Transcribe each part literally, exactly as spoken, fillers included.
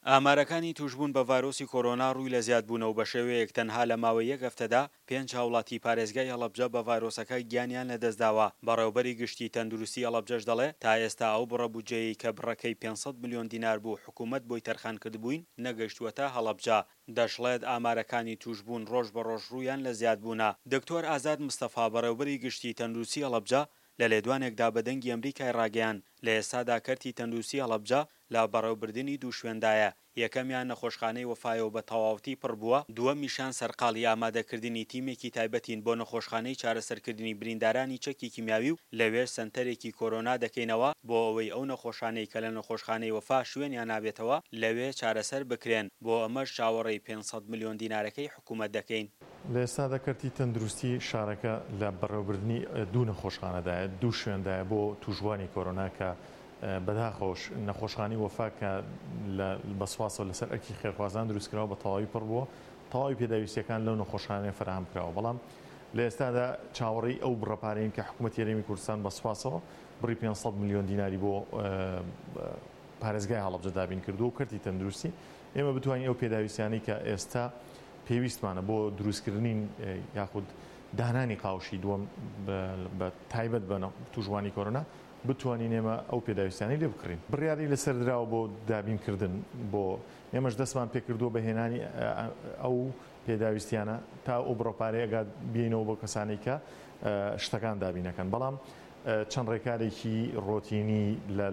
ئامارەکانی تووشبوون بە ڤایرۆسی کۆرۆنا ڕووی لە زیادبوونە و بەشێوەیەک تەنها لە ماوەی یەک هەفتەدا پێنج هاوڵاتی پارێزگای هەڵەبجە بە ڤایرۆسەکە گیانیان لەدەستداوە، بەڕێوبەری گشتی تەندروستی هەڵەبجەش دەڵێ تا ئێستا ئەو بڕە بودجەیەی کە بڕەکەی پێنج سەد ملیۆن دینار بوو حکومەت بۆی تەرخانکردبووین نەگەیشتووەتە هەڵەبجە. دەشڵێت ئامارەکانی تووشبوون ڕۆژ بە ڕۆژ ڕوویان لە زیادبوونە. دکتۆر ئازاد مستەفا بەڕێوبەری گشتی تەندروستی هەڵەبجە لە لێدوانێکدا بە دەنگی ئەمریکای ڕاگەیاند لە ئێستادا کەرتی تەندروستی هەڵەبجە لە بەڕێوبردنی دوو شوێندایە، یەکەمیان نەخۆشخانەی وەفایە و بە تەواوەتی پڕ بووە، دووەمیشیان سەرقاڵی ئامادەکردنی تیمێکی تایبەتین بۆ نەخۆشخانەی چارەسەرکردنی بریندارانی چەکی کیمیاوی و لەوێش سەنتەرێکی کۆرۆنا دەکەینەوە بۆ ئەوەی ئەو نەخۆشانەی کە لە نەخۆشخانەی وەفا شوێنیان نابێتەوە لەوێ چارەسەر بکرێن، بۆ ئەمەش چاوەڕێی پێنج سەد ملیۆن دینارەکەی حکومەت دەکەین. لە ئێستادا کەرتی تەندروستی شارەکە لە بەڕێوەبردنی دوو نەخۆشخانەدایە، دوو شوێندایە بۆ تووشبووانی کۆرۆنا کە بەداخەوەش نەخۆشخانەی وەفا کە بە سوپاسەوە لەسەر ئەرکی خێرخوازان دروستکراوە بە تەواوی پڕ بووە، تەواوی پێداویستیەکان لەو نەخۆشخانەیە فەراهەم کراوە، بەڵام لە ئێستادا چاوەڕێی ئەو بڕە پارەین کە حکوومەتی هەرێمی کوردستان بە سوپاسەوە بڕی پێنج سەد ملیۆن دیناری بۆ پارێزگای هەڵەبجە دابین کردووە و کەرتی تەندروستی ئێمە بتوانین ئەو پێداویستیانەی کە ئێستا پێویستمانە بۆ دروستکردنی یاخود دانانی قاوشی دووەم بە تایبەت بە تووشبووانی کۆرۆنا بتوانین ئێمە ئەو پێداویستیانەی لێ بکڕین. بڕیاری لەسەر دراوە بۆ دابینکردن بۆ ئێمەش دەستمان پێکردووە بە هێنانی ئەو پێداویستیانە تا ئەو بڕە پارەیە ئەگات بینەوە بۆ کەسانی کە شتەکان دابینەکەن، بەڵام چەند ڕێکارێکی ڕۆتینی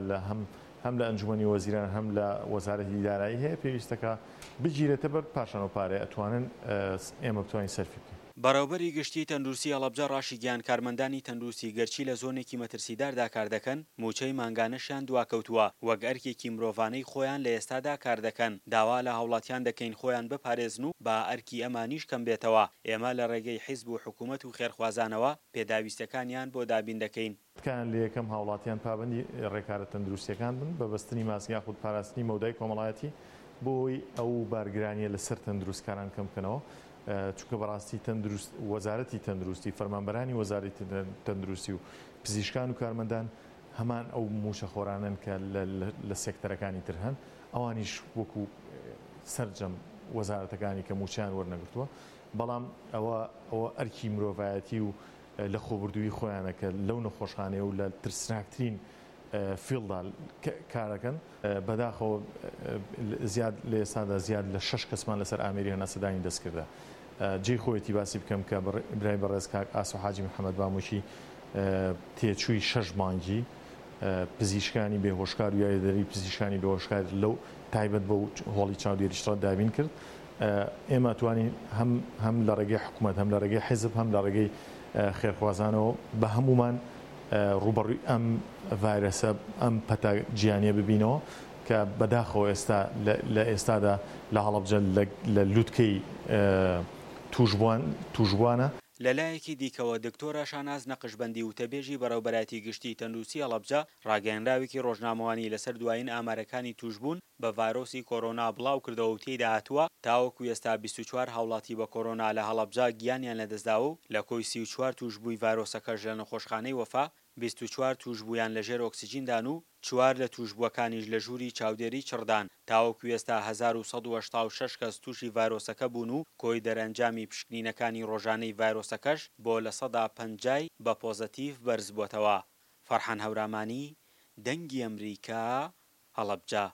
لە هەم هەم لە ئەنجومەنی وەزیران هەم لە وەزارەتی دارایی هەیە پێویستەکە بگیرێتە بەر پاشان و پارەیە ئەتوانن ئێمە بتوانین سەرفی بکەین. بەڕێوبەری گشتی تەندروستی هەڵەبجە ڕاشیگەیاند کارمەندانی تەندروستی گەرچی لە زۆنێکی مەترسیداردا کار دەکەن موچەی مانگانەشیان دواکەوتووە وەک ئەرکێکی مرۆڤانەی خۆیان لە ئێستادا کار دەکەن، داوا لە هاوڵاتیان دەکەین خۆیان بپارێزن و با ئەرکی ئەمانیش کەم بێتەوە، ئێمە لە ڕێگەی حیزب و حکومەت و خێرخوازانەوە پێداویستیەکانیان بۆ دابین دەکەین. تکایان لە یەکەم هاوڵاتیان پابەندی ڕێکارە تەندروستیەکان بن بە بەستنی ماسک یاخود پاراستنی مەودای کۆمەڵایەتی بۆ ئەوەی ئەو بارگرانیە لەسەر تەندروستکاران کەم بکەنەوە، چونکە بەڕاستی تەندروست وەزارەتی تەندروستی فەرمانبەرانی وەزارەتی تەندروستی و پزیشکان و کارمەندان هەمان ئەو موچەخۆرانن کە لە سێکتەرەکانی تر هەن، ئەوانیش وەکو سەرجەم وەزارەتەکانی کە موچیان وەرنەگرتووە، بەڵام ئەوە ئەوە ئەرکی مرۆڤایەتی و لە خۆبردووی خۆیانە کە لەو نەخۆشخانەیە و لە ترسناکترین فیڵدا کارەکەن. بەداخەوە زیاد لە ئێستادا زیاد لە شەش کەسمان لەسەر ئامێری هەناسەدانی دەست کردە. جێی خۆیەتی باسی بکەم کە برای بەڕێز کاک ئاسۆ حاجی محەممەد بامۆکی تێچووی شەش مانگی پزیشکانی بێهۆشکار و یاریدەری پزیشکانی بێهۆشکار لەو تایبەت بەو هۆڵی چاودێریشڕە دابین کرد. ئێمە توانین هەم هەم لە ڕێگەی حکوومەت هەم لە ڕێگەی حیزب هەم لە ڕێگەی خێرخوازانەوە بە هەمومان ڕووبەڕووی ئەم ڤایرەسە ئەم پەتا گیانیە ببینەوە کە بەداخەوە ئێستا لە ئێستادا لە هەڵەبجە لە لوتکەی تووشبووان تووشبووانە. لەلایەکی دیکەوە دکتۆرە شاناز نەقشبەندی وتەبێژی بەڕێوبەرایەتی گشتی تەندروستی هەڵەبجە ڕاگەیەنراوێکی ڕۆژنامەوانی لەسەر دوایین ئامارەکانی تووشبوون بە ڤایرۆسی کۆرۆنا بڵاو کردەوە و تێیدا هاتووە تاوەکو ئێستا بیست و چوار هاوڵاتی بە کۆرۆنا لە هەڵەبجە گیانیان لەدەستداوە و لە کۆی سی و چوار تووشبووی ڤایرۆسەکەش لە نەخۆشخانەی وەفا بیست و چوار تووشبوویان لەژێر ئۆکسجیندان و چوار لە تووشبووەکانیش لە ژووری چاودێری چڕدان، تاوەکو ئێستا هەزار و سەد و هەشتا و شەش کەس تووشی ڤایرۆسەکە بوون و کۆی دەرئەنجامی پشکنینەکانی ڕۆژانەی ڤایرۆسەکەش بۆ لە سەدا پەنجای بە پۆزەتیڤ بەرزبووەتەوە. فەرحان هەورامانی، دەنگی ئەمریکا، هەڵەبجە.